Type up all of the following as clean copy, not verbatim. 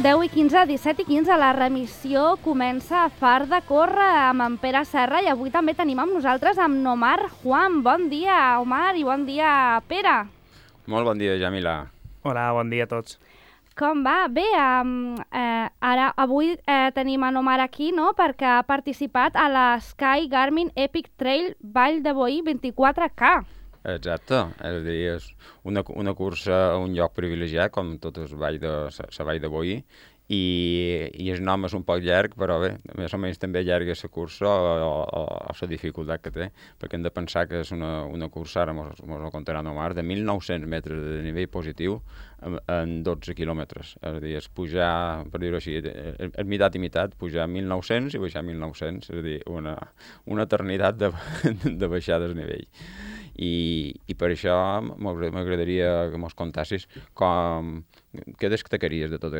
10:15, 17:15, la remissió comença a Far de Córrer amb en Pere Serra i avui també tenim amb nosaltres amb Omar Juan. Bon dia, Omar, i bon dia, Pere. Molt bon dia, Jamila. Hola, bon dia a tots. Com va? Bé, avui tenim en Omar aquí, no?, perquè ha participat a la Sky Garmin Epic Trail Vall de Boí 24K. Exacte, és a dir, és una cursa a un lloc privilegiat, com tot el Vall de Boí, i el nom és un poc llarg, però bé, més o menys també llarga la cursa o la dificultat que té, perquè hem de pensar que és una cursa, ara mos ho contarà Omar, de 1.900 metres de nivell positiu en 12 quilòmetres. És a dir, és pujar, per dir-ho així, és meitat i meitat, pujar 1.900 i baixar 1.900, és a dir, una eternitat de baixar del nivell. I per això m'agradaria que mos contassis què destacaries de tot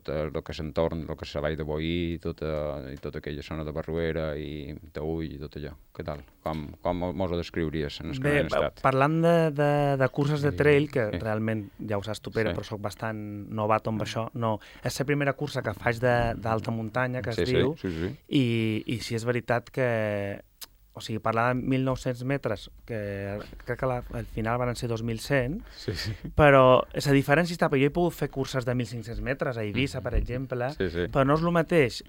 el que és l'entorn, el que és la Vall de Boí i tota aquella zona de Barruera i Taüll i tot allò. Què tal? Com mos ho descriuries en el que hem estat? Parlant de curses de trail, que realment ja ho saps tu, Pere, però soc bastant novato amb això, no, és la primera cursa que faig d'alta muntanya, que es diu, i sí és veritat que... O sigui, parlar de 1.900 metres, que crec que al final van ser 2.100, però la diferència està, perquè jo he pogut fer curses de 1.500 metres a Eivissa, per exemple, però no és el mateix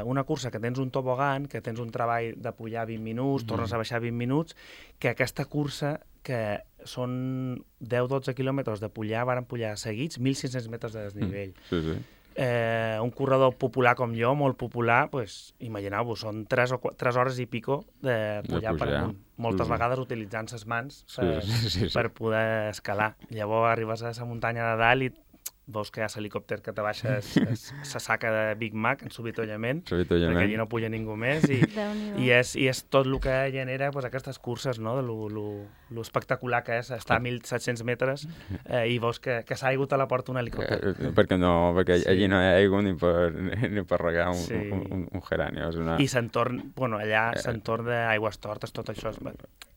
una cursa que tens un tobogan, que tens un treball de pujar 20 minuts, tornes a baixar 20 minuts, que aquesta cursa, que són 10-12 quilòmetres de pujar, van pujar seguits 1.500 metres de desnivell. Un corredor popular com jo, molt popular, pues, imagineu-vos, són 3 hores i pico de pujar per amunt, moltes vegades utilitzant les mans per poder escalar. Llavors arribes a la muntanya de dalt i veus que hi ha l'helicòpter que te baixa la saca de Big Mac en subitollament, perquè allí no puja ningú més, i és tot el que genera aquestes curses, no?, de lo espectacular que és estar a 1.700 metres i veus que s'ha haigut a la porta un helicòpter. Perquè allí no hi ha aigua ni per regar un geranio. I s'entorn, allà s'entorn d'aigües tortes, tot això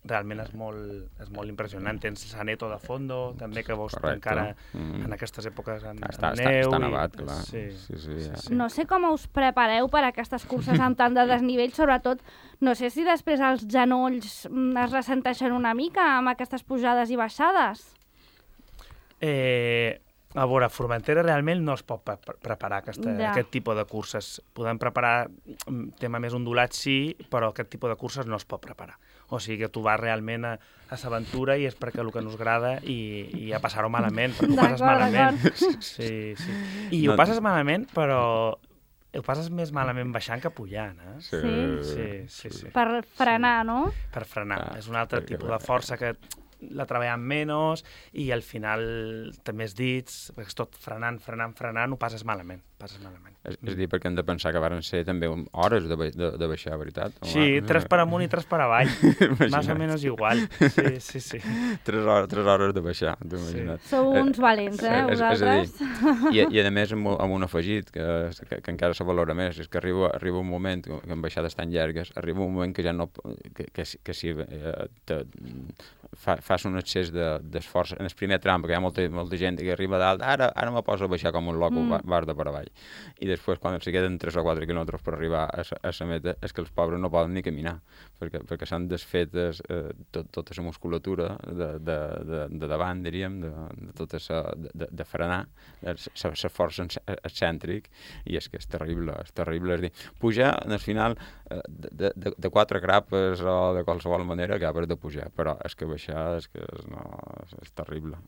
realment és molt impressionant. Tens Saneto de fondo, també, que veus encara en aquestes èpoques amb neu. Està nevat, clar. No sé com us prepareu per a aquestes curses amb tant de desnivell, sobretot, no sé si després els genolls es ressenteixen una mica amb aquestes pujades i baixades. A veure, a Formentera realment no es pot preparar aquest tipus de curses. Podem preparar tema més ondulat, sí, però aquest tipus de curses no es pot preparar. O sigui que tu vas realment a l'aventura i és perquè el que no us agrada i a passar-ho malament, perquè ho passes malament. Sí. I ho passes malament, però ho passes més malament baixant que pujant, eh? Sí. Per frenar, no? Per frenar. És un altre tipus de força que la treballen menys i al final també els dits, perquè és tot frenant, ho passes malament. És a dir, perquè hem de pensar que van ser també hores de baixar, veritat? Sí, 3 per amunt i 3 per avall. Més o menys igual. Sí. 3 hores de baixar, t'ho imagina't. Sou uns valents, vosaltres? I a més amb un afegit que encara se valora més, és que arriba un moment que en baixades tan llargues, arriba un moment que ja no... que si fas un excés d'esforç en el primer tram, perquè hi ha molta gent que arriba dalt, ara me poso a baixar com un loco, vas de per avall. I després, quan se queden 3 o 4 quilòmetres per arribar a la meta, és que els pobres no poden ni caminar, perquè s'han desfet tota la musculatura de davant, diríem, de frenar, l'esforç excèntric, i és que és terrible. És a dir, pujar, al final, de 4 grapes o de qualsevol manera, acabes de pujar, però és que baixar és terrible.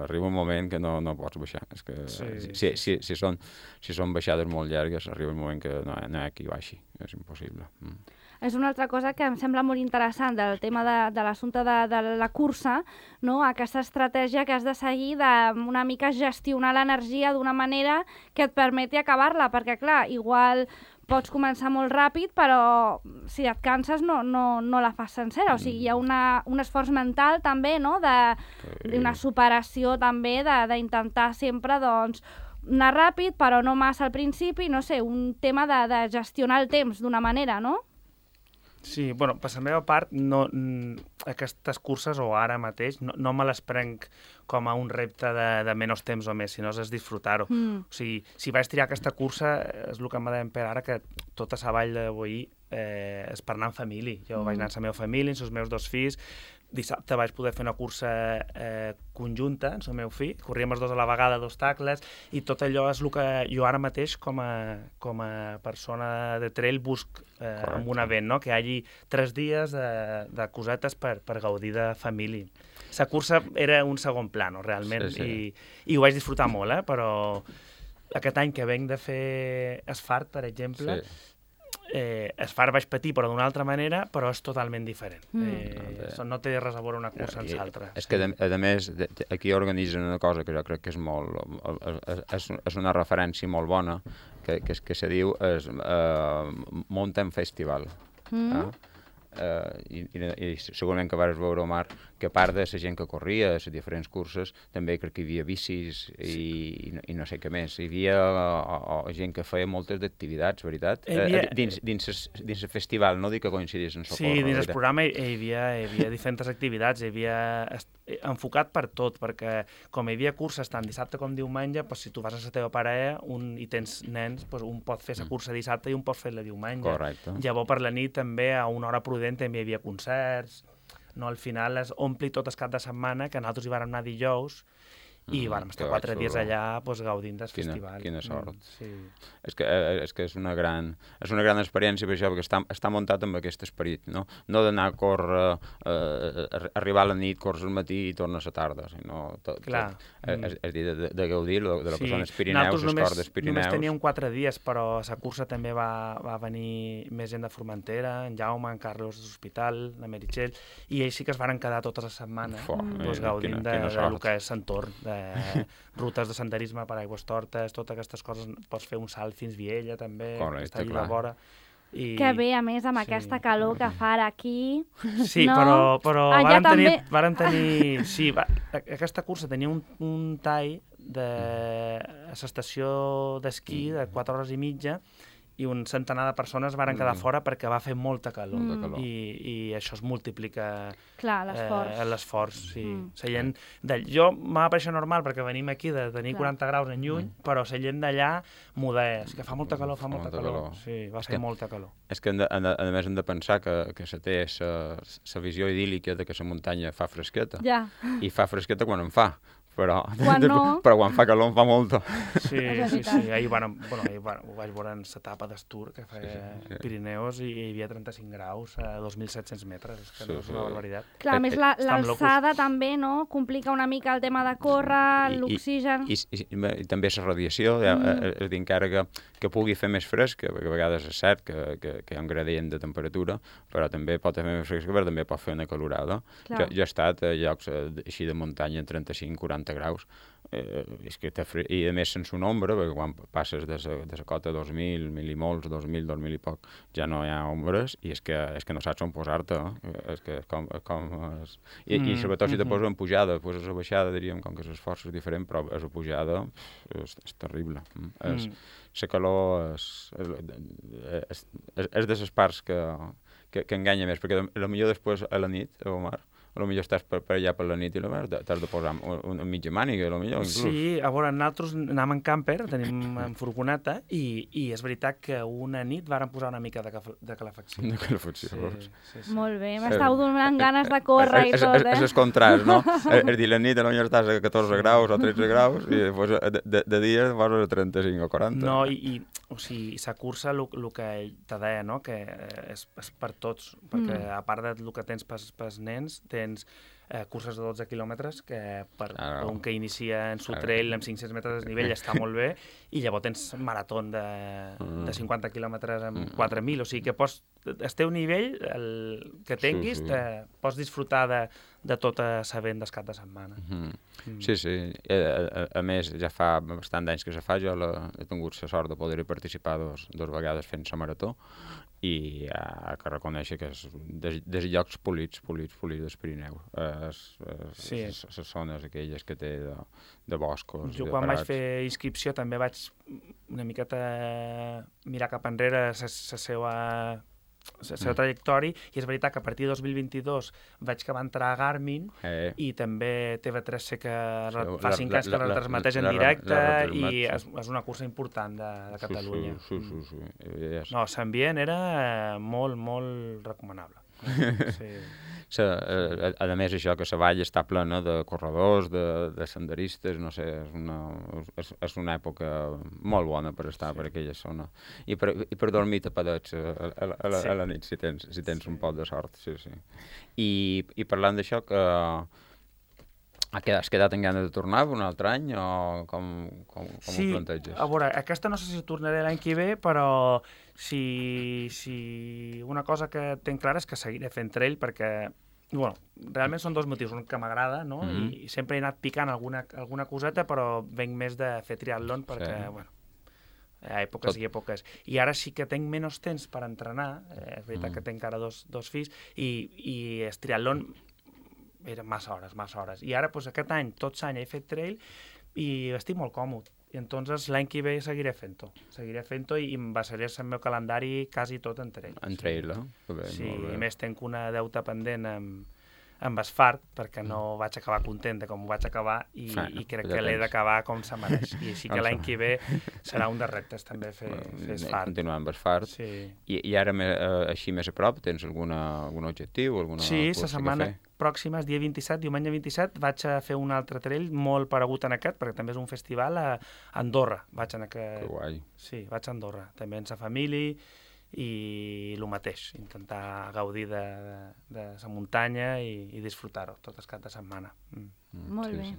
Arriba un moment que no pots baixar. És que si són baixades molt llargues, arriba un moment que no hi ha qui baixi. És impossible. És una altra cosa que em sembla molt interessant del tema de l'assumpte de la cursa, no? Aquesta estratègia que has de seguir d'una mica gestionar l'energia d'una manera que et permeti acabar-la, perquè clar, igual pots començar molt ràpid, però si et canses no la fas sencera. O sigui, hi ha un esforç mental també, no?, d'una superació també, d'intentar sempre, doncs, anar ràpid, però no massa al principi, no sé, un tema de gestionar el temps d'una manera, no? Sí, bueno, per la meva part, aquestes curses, o ara mateix, no me les prenc com a un repte de menys temps o més, sinó és disfrutar-ho. O sigui, si vaig triar aquesta cursa, és el que em va dir ara, que tota la vall de Boí és per anar en família. Jo vaig anar amb la meva família, amb els meus 2 fills. Dissabte vaig poder fer una cursa conjunta amb el meu fill, corríem els 2 a la vegada d'obstacles, i tot allò és el que jo ara mateix com a persona de trail busc en un event, no? Que hi hagi 3 dies de cosetes per gaudir de família. La cursa era un segon plano, realment, i ho vaig disfrutar molt, però aquest any que venc de fer asfalt, per exemple, asfalt vaig patir, però d'una altra manera, però és totalment diferent. No té res a veure una cursa amb l'altra. És que, a més, aquí organitzen una cosa que jo crec que és és una referència molt bona, que se diu Mountain Festival. I segurament que vas veure, Omar, que a part de la gent que corria, les diferents curses, també crec que hi havia bicis i no sé què més. Hi havia gent que feia moltes activitats, veritat? Dins el festival, no dic que coincidís en Socorro. Sí, dins el programa hi havia diferents activitats, hi havia enfocat per tot, perquè com hi havia curses tant dissabte com diumenge, si tu vas a la teva parella i tens nens, un pot fer la cursa dissabte i un pot fer-la diumenge. Correcte. Llavors per la nit també a una hora prudent també hi havia concerts. Al final es ompli tot el cap de setmana, que nosaltres hi vàrem anar dijous i vàrem estar 4 dies allà gaudint del festival. Quina sort. És que és una gran experiència per això, perquè està muntat amb aquest esperit, no d'anar a córrer, arribar a la nit, córrer al matí i tornar a la tarda, sinó és dir, de gaudir de lo que són els Pirineus, les cordes Pirineus. Només teníem 4 dies, però a la cursa també va venir més gent de Formentera, en Jaume, en Carlos de l'Hospital, la Meritxell, i ells sí que es van quedar tota la setmana gaudint del que és l'entorn, rutes de senderisme per Aigües Tortes, totes aquestes coses. Pots fer un salt fins Viella, també, que està allà a vora. Que bé, a més, amb aquesta calor que fa ara aquí. Sí, però vàrem tenir... Sí, aquesta cursa tenia un tall de l'estació d'esquí de 4 hores i mitja, i un centenar de persones van quedar fora perquè va fer molta calor. I això es multiplica l'esforç. Jo m'ha pareixer normal perquè venim aquí de tenir 40 graus en juny, però la gent d'allà és que fa molta calor, Sí, va fer molta calor. És que, a més, hem de pensar que se té la visió idíl·lica de que la muntanya fa fresqueta. I fa fresqueta quan en fa. Però quan fa calor en fa molta. Sí. Ahir ho vaig veure en l'etapa d'Estur, que feia Pirineus, i hi havia 35 graus a 2.700 metres. És que no és una barbaritat. Clar, a més, l'alçada també, no? Complica una mica el tema de córrer, l'oxigen... I també la radiació, és a dir, encara que pugui fer més fresc, que a vegades és cert que hi ha un gradient de temperatura, però també pot fer més fresc, però també pot fer una calorada. Jo he estat a llocs així de muntanya en 35-40 graus, i a més sense un ombra, perquè quan passes de la cota 2.000, 1.000 i molts, 2.000, 2.000 i poc, ja no hi ha ombres, i és que no saps on posar-te, i sobretot si te poses en pujada, després a la baixada, diríem, com que l'esforç és diferent, però a la pujada és terrible. La calor és de les parts que enganya més, perquè potser després a la nit, Omar, potser estàs per allà per la nit i t'has de posar una mitja màniga, potser, inclús. Sí, a veure, nosaltres anàvem en camper, tenim en furgoneta, i és veritat que una nit vàrem posar una mica de calefacció. De calefacció. Sí. Molt bé, m'estàu donant ganes de córrer i tot, És el contrast, no? És dir, la nit potser estàs a 14 graus o 13 graus i després de dia vas a 35 o 40. No, o sigui, la cursa, el que te deia, no?, que és per tots, perquè a part del que tens pels nens, tens curses de 12 quilòmetres que per un que inicia en su trail amb 500 metres de desnivell està molt bé, i llavors tens marató de 50 quilòmetres amb 4.000, o sigui que el teu nivell, el que tinguis, pots disfrutar de tota la vent del cap de setmana. Sí. A més, ja fa bastant d'anys que se fa, jo he tingut la sort de poder participar dos vegades fent la marató, i que reconèixer que és dels llocs polits dels Pirineus, les zones aquelles que té de boscos. Jo quan vaig fer inscripció també vaig una miqueta mirar cap enrere la seva seva trajectòria, i és veritat que a partir de 2022 veig que va entrar a Garmin i també TV3 sé que fa 5 anys que la retransmeteix en directe i és una cursa important de Catalunya. Sí. No, l'ambient era molt, molt recomanable. Sí. A més, això, que la vall està plena de corredors, de senderistes, no sé, és una època molt bona per estar per aquella zona. I per dormir tapadets a la nit, si tens un poc de sort, sí. I parlant d'això, que has quedat en ganes de tornar un altre any o com ho planteges? Sí, a veure, aquesta no sé si tornaré l'any que ve, però si una cosa que tenc clara és que seguiré fent trail perquè, bueno, realment són dos motius, un que m'agrada, no? I sempre he anat picant alguna coseta, però venc més de fer triatlon perquè, bueno, hi ha èpoques i èpoques. I ara sí que tinc menys temps per entrenar, és veritat que tinc ara dos fills, i el triatlon era massa hores. I ara, doncs, aquest any, tot l'any he fet trail i estic molt còmode. I entonces l'any que ve seguiré fent-ho i em basaré el meu calendari quasi tot en trail. En trail, Sí, i més tenc una deuta pendent amb asfalt, perquè no vaig acabar content de com ho vaig acabar i crec que l'he d'acabar com se mereix. I així que l'any que ve serà un dels reptes també fer asfalt. Continuar amb asfalt. Sí. I ara, així més a prop, tens algun objectiu? Sí, la setmana pròxima, el dia 27, diumenge 27, vaig a fer un altre trail molt paregut en aquest, perquè també és un festival a Andorra. Que guai. Sí, vaig a Andorra, també amb la família, i el mateix, intentar gaudir de la muntanya i disfrutar-ho tot el cap de setmana. Molt bé.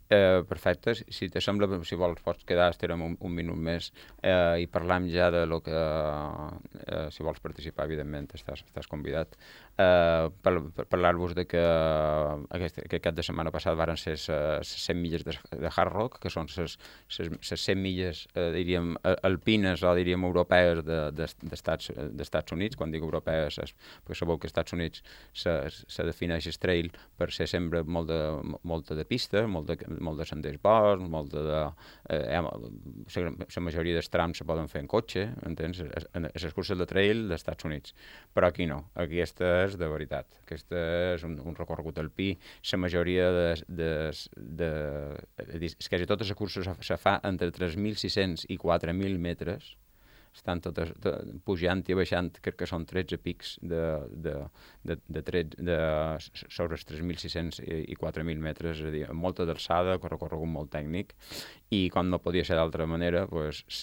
Perfecte, si te sembla, si vols pots quedar, estarem un minut més i parlam ja de lo que si vols participar, evidentment estàs convidat, parlar-vos de que aquest cap de setmana passat varen ser les 100 milles de Hard Rock, que són les 100 milles, diríem, alpines o diríem europees d'Estats Units. Quan dic europees perquè sabeu que als Estats Units se defineix el trail per ser sempre molta de pista, molt de senders bons, la majoria dels trams se poden fer en cotxe, entens? Les curses de trail dels Estats Units. Però aquí no, aquesta és de veritat. Aquesta és un recorregut alpí. La majoria quasi totes les curses se fa entre 3.600 i 4.000 metres. Estan totes pujant i baixant, crec que són 13 pics sobre els 3.600 i 4.000 metres, és a dir, amb molta d'alçada, recorregut molt tècnic, i com no podia ser d'altra manera, els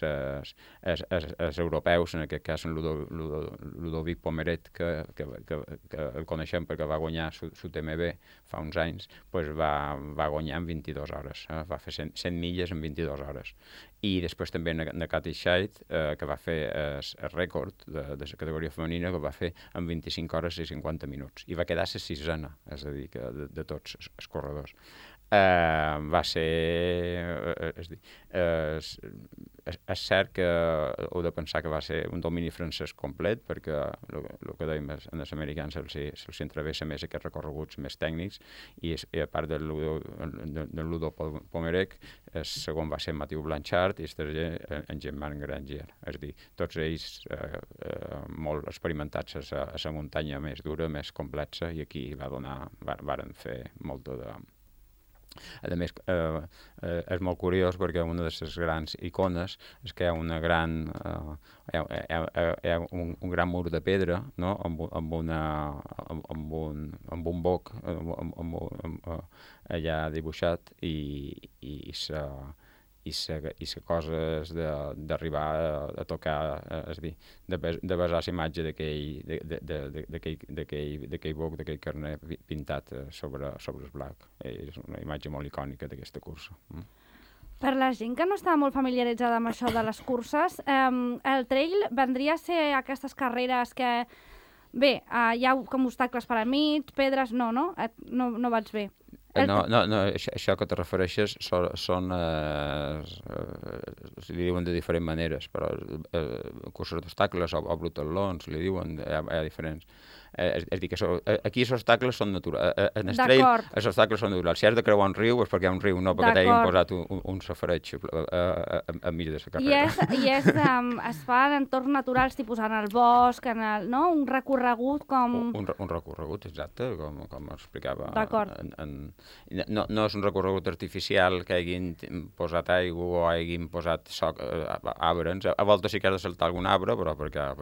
europeus, en aquest cas en Ludovic Pommeret, que el coneixem perquè va guanyar l'UTMB fa uns anys, va guanyar en 22 hores, va fer 100 milles en 22 hores. I després també en Katy Scheidt, que va fer el rècord de la categoria femenina, que va fer en 25 hores i 50 minuts. I va quedar la sisena, és a dir, de tots els corredors. Va ser... És cert que heu de pensar que va ser un domini francès complet, perquè el que dèiem, als americans se'ls entravessa més aquests recorreguts més tècnics, i a part del Ludo Pomerec, el segon va ser Mathieu Blanchard i el tercer en Germain Granger. És a dir, tots ells molt experimentats a la muntanya més dura, més complexa, i aquí varen fer molta de... A més, és molt curiós perquè una de les grans icones és que hi ha una gran un gran mur de pedra, no? amb un boc allà dibuixat i la cosa és d'arribar a tocar, és a dir, de basar la imatge d'aquell boc, d'aquell carnet pintat sobre el blanc. És una imatge molt icònica d'aquesta cursa. Per la gent que no està molt familiaritzada amb això de les curses, el trail vendria a ser aquestes carreres que, bé, hi ha com obstacles per al mig, pedres, no vaig bé. No, això que te refereixes són li diuen de diferents maneres, però curses d'obstacles o brutal-lons, li diuen, hi ha diferents. És dir, que aquí els obstacles són naturals. En el trail, els obstacles són naturals. Si has de creuar un riu és perquè hi ha un riu, no perquè t'hagin posat un safareig enmig de la carrera. Es fa en entorns naturals, tipus en el bosc, no? Un recorregut com... Un recorregut, exacte, com explicava. D'acord. No és un recorregut artificial que hagin posat aigua o hagin posat arbres. A voltes sí que has de saltar algun arbre, però perquè ha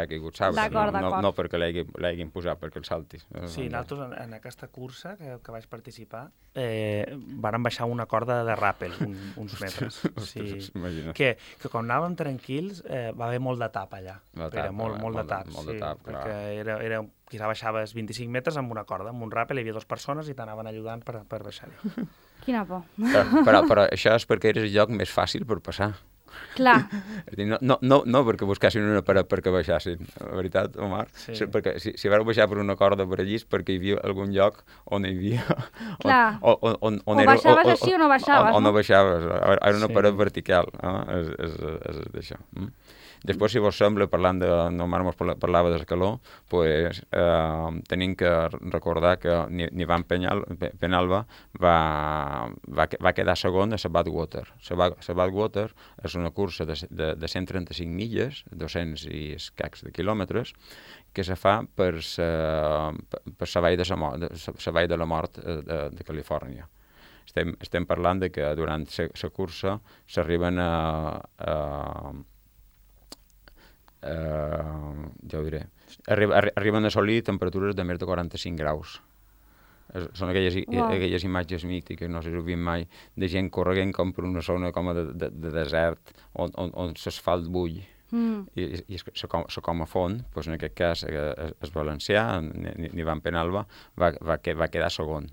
caigut l'arbre. No perquè l'hagin posat, perquè el saltis. Sí, nosaltres en aquesta cursa que vaig participar vàrem baixar una corda de ràpel, uns metres. Que quan anàvem tranquils va haver molt de tap allà. Molt de tap, perquè era quizà baixaves 25 metres amb una corda, amb un ràpel, hi havia 2 persones i t'anaven ajudant per baixar-hi. Quina por. Però això és perquè eres el lloc més fàcil per passar. Clar. No perquè buscassin una paret perquè baixassin, la veritat, Omar. Sí. Perquè si vareu baixar per una corda per allí és perquè hi havia algun lloc on hi havia... Clar. O baixaves així o no baixaves, no? O no baixaves. Era una paret vertical, és d'això. Després, si vos sembla, parlant de... Omar mos parlava de la calor, pues, tenim que recordar que Nivan Penalba va quedar segon a la Badwater. La Badwater és una cursa de 135 milles, 200 i escacs de quilòmetres, que se fa per la vall de la mort de Califòrnia. Estem parlant de que durant la cursa s'arriben ja ho diré, arriben a assolir temperatures de més de 45 graus. Són aquelles imatges mítiques, no sé si ho vist mai, de gent corrent com per una zona com de desert, on l'asfalt bull. I se com a font, doncs en aquest cas el valencià, Nivan Penalba, va quedar segon.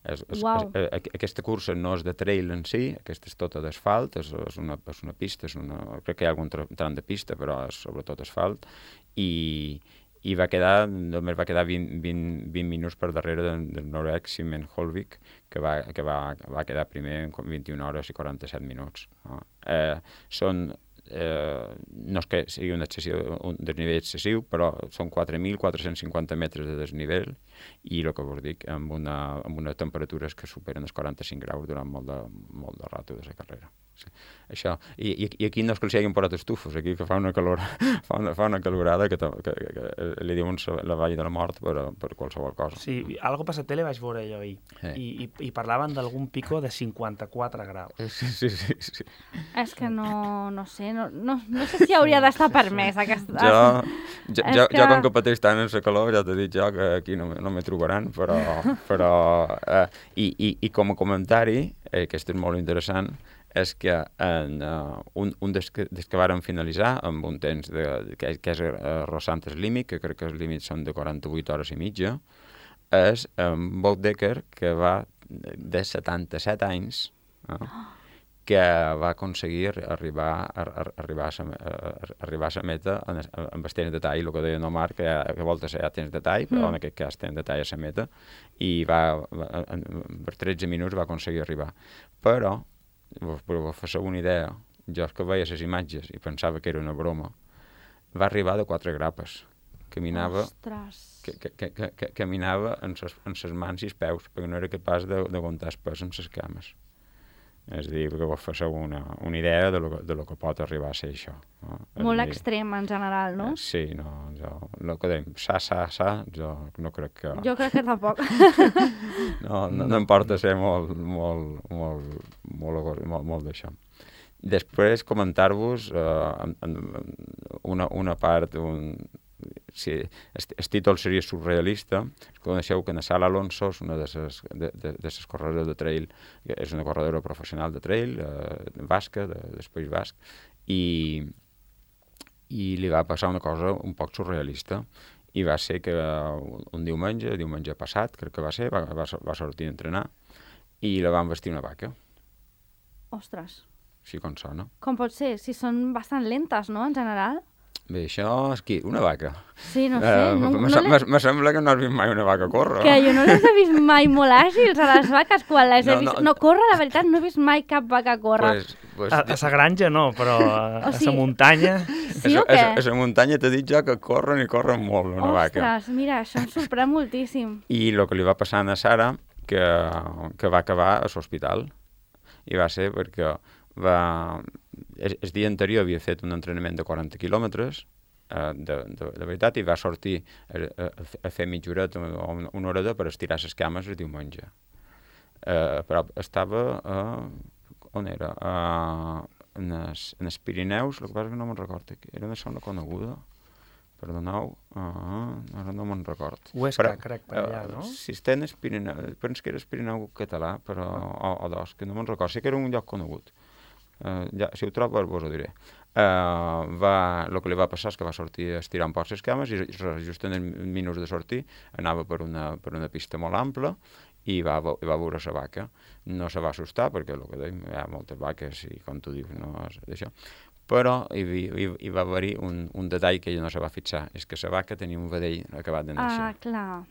Aquesta cursa no és de trail en si, aquesta és tota d'asfalt, és una pista, crec que hi ha algun tram de pista, però és sobretot asfalt, i només va quedar 20 minuts per darrere del noruec Simen Holvik, que va quedar primer en 21 hores i 47 minuts. No és que sigui un desnivell excessiu, però són 4.450 metres de desnivell i el que vos dic, amb unes temperatures que superen els 45 graus durant molt de rato de la carrera. Sí. Això. I aquí no és que els hagin posat estufos, aquí que fa una calorada que li diuen la vall de la mort per qualsevol cosa. Sí, algo per la tele vaig veure jo ahir, i parlaven d'algun pico de 54 graus. Sí. És que no sé, no sé si hauria d'estar permès aquesta... Jo com que pateix tant en la calor, ja t'he dit jo que aquí no me trobaran, però i com a comentari, que és molt interessant, és que un des que vàrem finalitzar amb un temps que és rossant el límit, que crec que els límits són de 48 hores i mitja, és Bob Decker, que va de 77 anys, que va aconseguir arribar a la meta amb el temps de tall, el que deia Omar, que a voltes hi ha temps de tall, però en aquest cas temps de tall a la meta, i per 13 minuts va aconseguir arribar. Però per fer una idea, jo que veia les imatges i pensava que era una broma, va arribar de 4 grapes. Caminava amb les mans i els peus, perquè no era capaç d'aguantar el pes amb les cames. És a dir, que vos feu una idea de lo que pot arribar a ser això. No? Molt extrem, en general, no? Sí, el que dèiem, jo no crec que... Jo crec que tampoc. No em porta a ser molt d'això. Després, comentar-vos una part... Si el títol seria surrealista. Coneixeu que Sala Alonso és una de les corredores de trail, és una corredora professional de trail, basca, del País Basc, i li va passar una cosa un poc surrealista, i va ser que un diumenge passat, crec que va sortir a entrenar, i la van vestir una vaca. Ostres. Així com sona. Com pot ser? Si són bastant lentes, no?, en general? Bé, això és qui? Una vaca? Sí, no sé. Me sembla que no has vist mai una vaca córrer. Que jo no les he vist mai molt àgils a les vaques quan les he vist. No, córrer, la veritat, no he vist mai cap vaca córrer. A la granja no, però a la muntanya... Sí o què? A la muntanya t'he dit jo que corren i corren molt, una vaca. Ostres, mira, això em sorprèn moltíssim. I el que li va passar a Sara, que va acabar a l'hospital. I va ser perquè el dia anterior havia fet un entrenament de 40 quilòmetres, de veritat, i va sortir a fer mitja horeta o una horeta per estirar les cames el diumenge. Però estava on era? En els Pirineus, el que passa que no me'n recordo. Era una zona coneguda. Perdoneu, ara no me'n record. Huesca, crec, per allà, no? Si està en el Pirineu, penso que era el Pirineu català, però, o dos, que no me'n record. Sí que era un lloc conegut. Si ho trobo, vos ho diré. El que li va passar és que va sortir estirant poc les cames i just en els minuts de sortir anava per una pista molt ampla i va veure la vaca. No se va assustar perquè, el que dèiem, hi ha moltes vaques i, com tu dius, no és d'això. Però hi va haver-hi un detall que ella no se va fixar, és que la vaca tenia un vedell acabat de néixer. Ah, clar.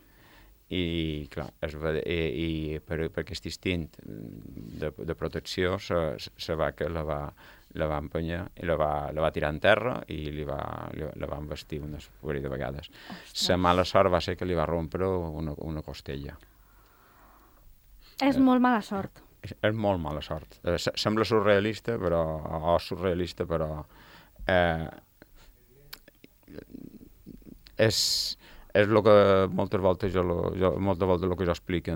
I clar, per aquest instint de protecció, la vaca la va empènyer i la va tirar en terra i la va embestir unes parell de vegades. La mala sort va ser que li va rompre una costella. És molt mala sort. És molt mala sort. Sembla surrealista, però és el que moltes voltes el que jo explico,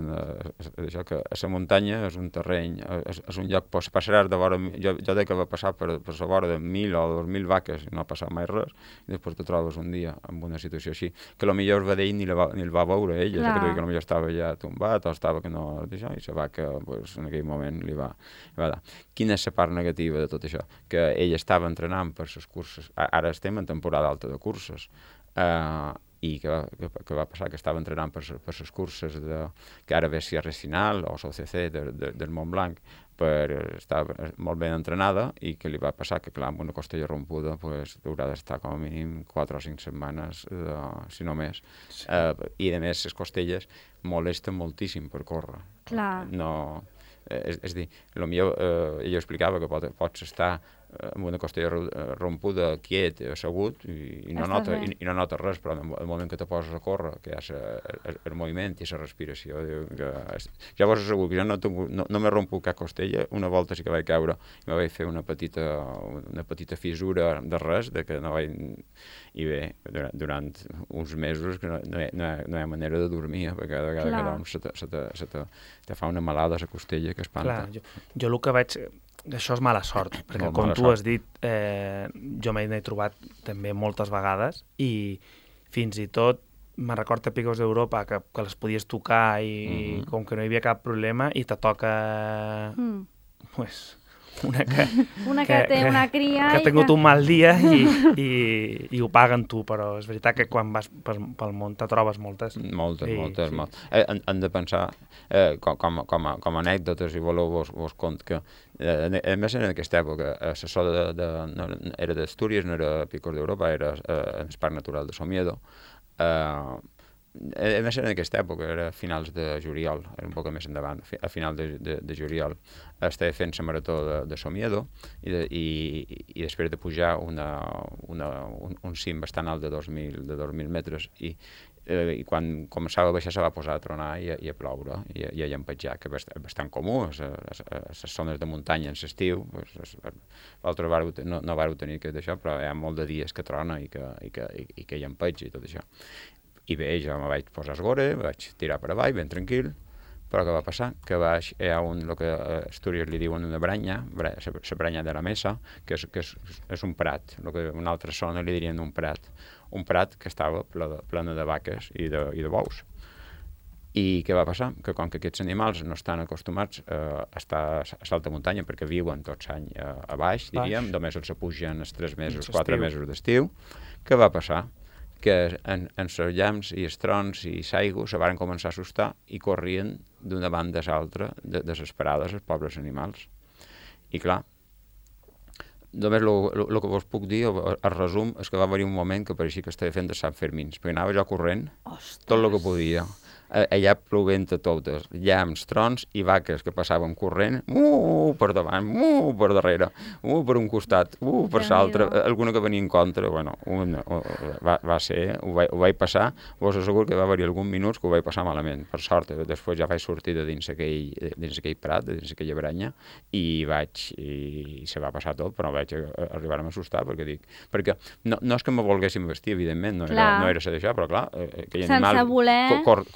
això, que a la muntanya és un terreny, és un lloc, passaràs de vora, jo deia que va passar per la vora de 1.000 o 2.000 vaques i no ha passat mai res, i després te trobes un dia en una situació així, que potser el vedell ni el va veure ella, que potser estava ja tombat o estava que no, això, i la vaca en aquell moment li va dar. Quina és la part negativa de tot això? Que ella estava entrenant per les curses, ara estem en temporada alta de curses, i que va passar que estava entrenant per les curses que ara ve Sierra Final o l'OCC del Montblanc, estava molt ben entrenada i que li va passar que, clar, amb una costella rompuda haurà d'estar com a mínim 4 o 5 setmanes, si no més. Sí. I, a més, les costelles molesten moltíssim per córrer. Clar. No, és a dir, potser ella explicava que pots estar amb una costella rompuda, quiet, assegut, i no nota res, però en el moment que te poses a córrer, que hi ha el moviment i la respiració, ja vos asseguro que jo no m'he romput cap costella, una volta sí que vaig caure i me vaig fer una petita fissura de res, de que no vaig... I bé, durant uns mesos que no hi ha manera de dormir, perquè cada vegada que dorms te fa una malada a la costella que espanta. Clar, jo el que vaig... Això és mala sort, perquè com tu has dit, jo m'he trobat també moltes vegades i fins i tot me'n recordo a Picos d'Europa que les podies tocar i com que no hi havia cap problema i te toca una que té una cria que ha tingut un mal dia i ho paguen tu, però és veritat que quan vas pel món te trobes moltes. Moltes. Hem de pensar, com a anècdotes, si voleu vos conto que a més en aquesta època l'assessor era d'Astúries, no era Picos d'Europa, era en el Parc Natural de Somiedo. A més en aquesta època, era a finals de juliol, era un poc més endavant, a final de juliol estava fent la marató de Somiedo i després de pujar un cim bastant alt de 2.000 metres i quan començava a baixar se va posar a tronar i a ploure i a llampejar, que és bastant comú a les zones de muntanya en l'estiu. Vosaltres no vareu tenir d'això, però hi ha molt de dies que trona i que llampeja i tot això. I bé, jo me vaig posar a esgore, vaig tirar per avall, ben tranquil, però què va passar? Que baix hi ha el que a Astúries li diuen una branya, la branya de la Mesa, que és un prat, el que a una altra zona li dirien un prat que estava plena de vaques i de bous. I què va passar? Que com que aquests animals no estan acostumats a estar a l'alta muntanya perquè viuen tots l'any a baix, diríem, només els pugen els 3 mesos, 4 mesos d'estiu, què va passar? Que en els llamps i els trons i l'aigua se van començar a assustar i corrien d'una banda a l'altra desesperades els pobres animals. I clar, només el que vos puc dir, el resum, és que va haver un moment que pareixia que estava fent de Sant Fermins, perquè anava jo corrent tot el que podia. Allà plovent a totes, llamps, trons i vaques que passaven corrent, per davant, per darrere, per un costat, per l'altre, alguna que venia en contra, bueno, va ser, ho vaig passar, vos asseguro que va haver algun minuts que ho vaig passar malament, per sort, després ja vaig sortir de dins aquell prat, de dins aquella branya, i se va passar tot, però vaig arribar a m'assustar, perquè no és que me volguéssim vestir, evidentment, no era ser d'això, però clar, aquell animal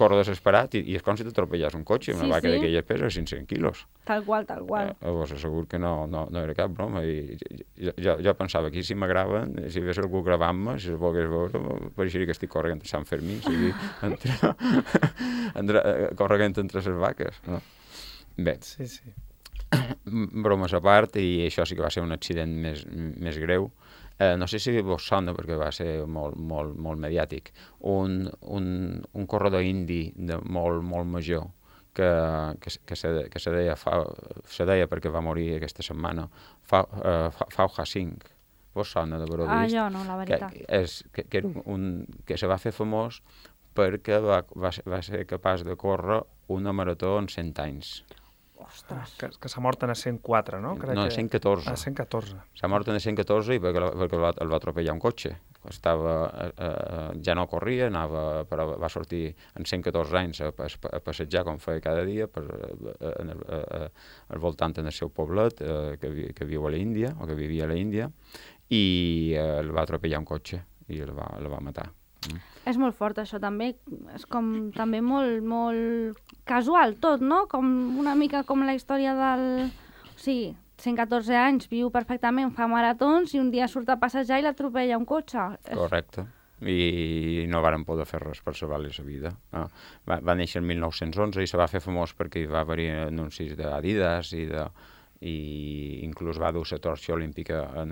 corre desesperat i és com si t'atropellàs un cotxe, una vaca d'aquelles pesa 500 quilos. Tal qual. Vos asseguro que no era cap broma. Jo pensava que si m'agraven, si hi hagués algú gravant-me, si es volgués veure, pareixeria que estic corrent a Sant Fermín, corrent entre les vaques. No? Bé, bromes a part, i això sí que va ser un accident més greu. No sé si vos sona, perquè va ser molt mediàtic, un corredor indi molt major que se deia perquè va morir aquesta setmana, Fauja Singh. Vos sona d'haver-ho vist? Jo no, la veritat. Que se va fer famós perquè va ser capaç de córrer una marató en 100 anys. Ostres. Que s'ha mort en 104, no? No, en 114. En 114. S'ha mort en 114 perquè el va atropellar un cotxe. Ja no corria, però va sortir en 114 anys a passejar com feia cada dia al voltant del seu poblet que viu a l'Índia, o que vivia a l'Índia, i el va atropellar un cotxe i el va matar. És molt fort, això, també. És com també molt casual, tot, no? Com una mica com la història del... O sigui, 114 anys, viu perfectament, fa maratons i un dia surt a passejar i l'atropella un cotxe. Correcte. I no varen poder fer res per salvar-li la vida. Va néixer el 1911 i se va fer famós perquè hi va haver anuncis d'Adidas i inclús va dur la torxa olímpica a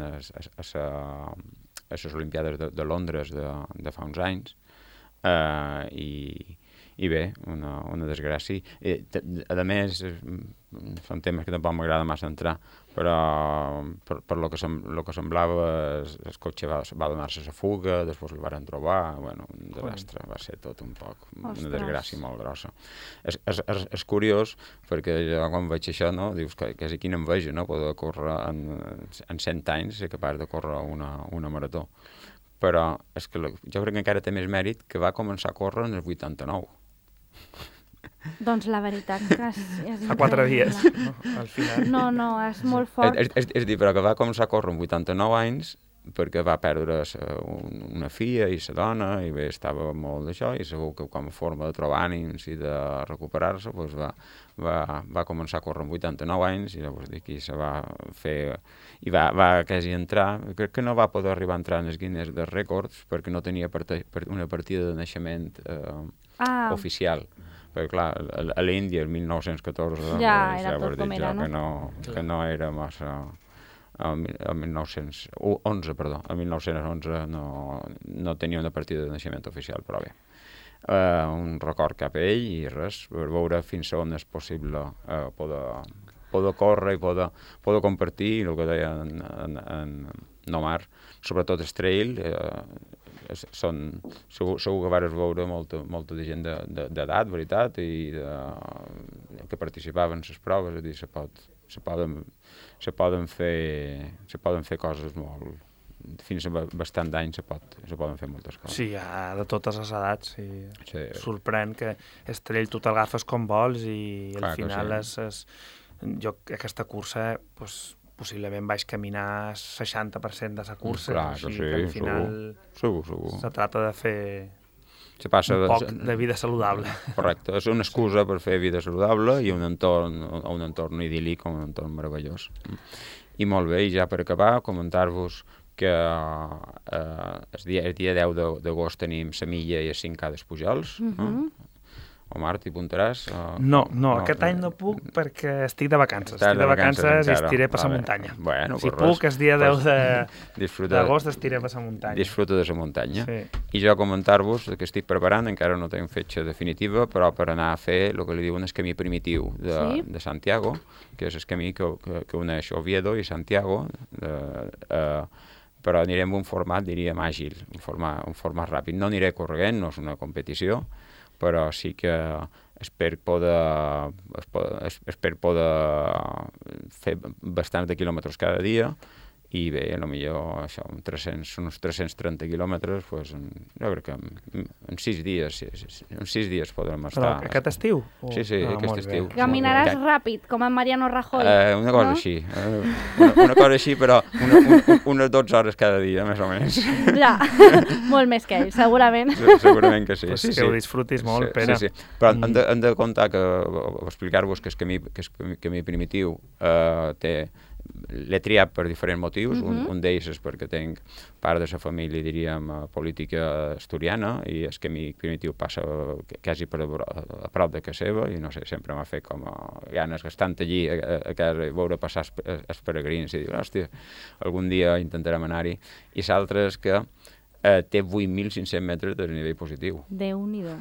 les Olimpiades de Londres de fa uns anys, i bé, una desgràcia. A més, són temes que tampoc m'agrada massa entrar, però per lo que semblava el cotxe va donar-se a fuga, després el varen trobar, bueno, un desastre, va ser tot un poc, una desgràcia molt grossa. És curiós, perquè jo quan veig això, no, dius que és quina enveja, no, poder córrer en 100 anys, ser capaç de córrer una marató. Però és que jo crec que encara té més mèrit que va començar a córrer en el 89. Doncs la veritat que és fa 4 dies, no? Al final. No, és molt fort. És dir, però que va començar a córrer amb 89 anys perquè va perdre una filla i la dona, i bé, estava molt d'això, i segur que com a forma de trobar ànims i de recuperar-se, doncs va començar a córrer amb 89 anys, i llavors d'aquí se va fer... I va quasi entrar, crec que no va poder arribar a entrar en els Guinness de Rècords perquè no tenia una partida de naixement oficial. Perquè, clar, a l'Índia, el 1914, ja era tot com era, no? Que no era massa... El 1911 no tenia una partida de naixement oficial, però bé. Un record cap a ell i res, per veure fins on és possible poder córrer i poder compartir el que deia en Nomar, sobretot el trail. Segur que vares veure molta de gent d'edat, veritat, i que participaven en les proves, és a dir, se poden fer coses molt... Fins a bastant d'anys se poden fer moltes coses. Sí, de totes les edats. Sí. Sorprèn que el trail tu te'l com vols i al final jo aquesta cursa possiblement vaig caminar 60% de la cursa. Clar que sí, al final segur. Se trata de fer un poc de vida saludable. Correcte, és una excusa per fer vida saludable i un entorn idíl·lic, un entorn meravellós. I molt bé, i ja per acabar, comentar-vos que el dia 10 d'agost tenim la milla i el 5K dels Pujols. Omar, t'hi apuntaràs? No, aquest any no puc perquè estic de vacances. Estic de vacances i estiré per la muntanya. Bueno, si puc, el dia 10 d'agost estiré per la muntanya. Disfruta de la muntanya. Sí. I jo comentar-vos que estic preparant, encara no tinc fetge definitiva, però per anar a fer el que li diuen el camí primitiu de Santiago, que és el camí que uneix Oviedo i Santiago, però anirem en un format, diríem, àgil, un format ràpid. No aniré corrent, no és una competició, però sí que espero poder fer bastants de quilòmetres cada dia i bé, potser això, uns 330 quilòmetres, doncs, jo crec que en 6 dies podrem estar... Però aquest estiu? Sí, aquest estiu. Caminaràs ràpid, com en Mariano Rajoy. Una cosa així. Una cosa així, però unes 12 hores cada dia, més o menys. Ja, molt més que ell, segurament. Segurament que sí. Que ho disfrutis molt, Pere. Sí. Però hem de comptar explicar-vos que el camí primitiu l'he triat per diferents motius. Un d'ells és perquè tinc part de la família, diríem, política asturiana, i el camí primitiu passa quasi a prop de casa seva, i no sé, sempre m'ha fet com ganes, estant allí a casa, veure passar els peregrins i dir, hòstia, algun dia intentarem anar-hi. I l'altre és que té 8.500 metres de nivell positiu. Déu-n'hi-do.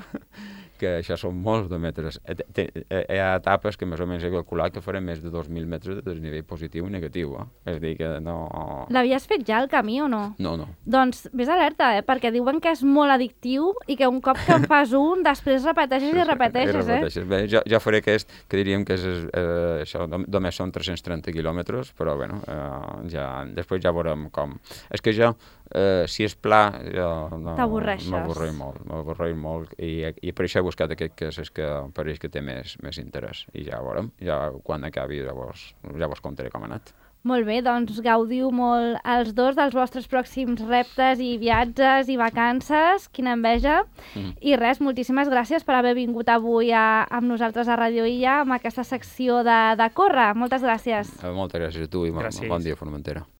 Que això són molts de metres. Hi ha etapes que més o menys he calculat que farem més de 2.000 metres de desnivell positiu i negatiu. És a dir, que no... L'havies fet ja el camí o no? No. Doncs vés alerta, perquè diuen que és molt addictiu i que un cop que en fas un, després repeteixes i repeteixes. Bé, jo faré aquest, que diríem que això només són 330 quilòmetres, però bueno, després ja veurem com. És que jo, si és pla, t'avorreixes. M'avorreix molt, i per això he buscat aquest que és el que pareix que té més interès. I ja veurem, quan acabi ja vos contaré com ha anat. Molt bé, doncs gaudiu molt els dos dels vostres pròxims reptes i viatges i vacances, quina enveja. I res, moltíssimes gràcies per haver vingut avui amb nosaltres a Radio Illa amb aquesta secció de córrer. Moltes gràcies. Moltes gràcies a tu i bon dia, Formentera.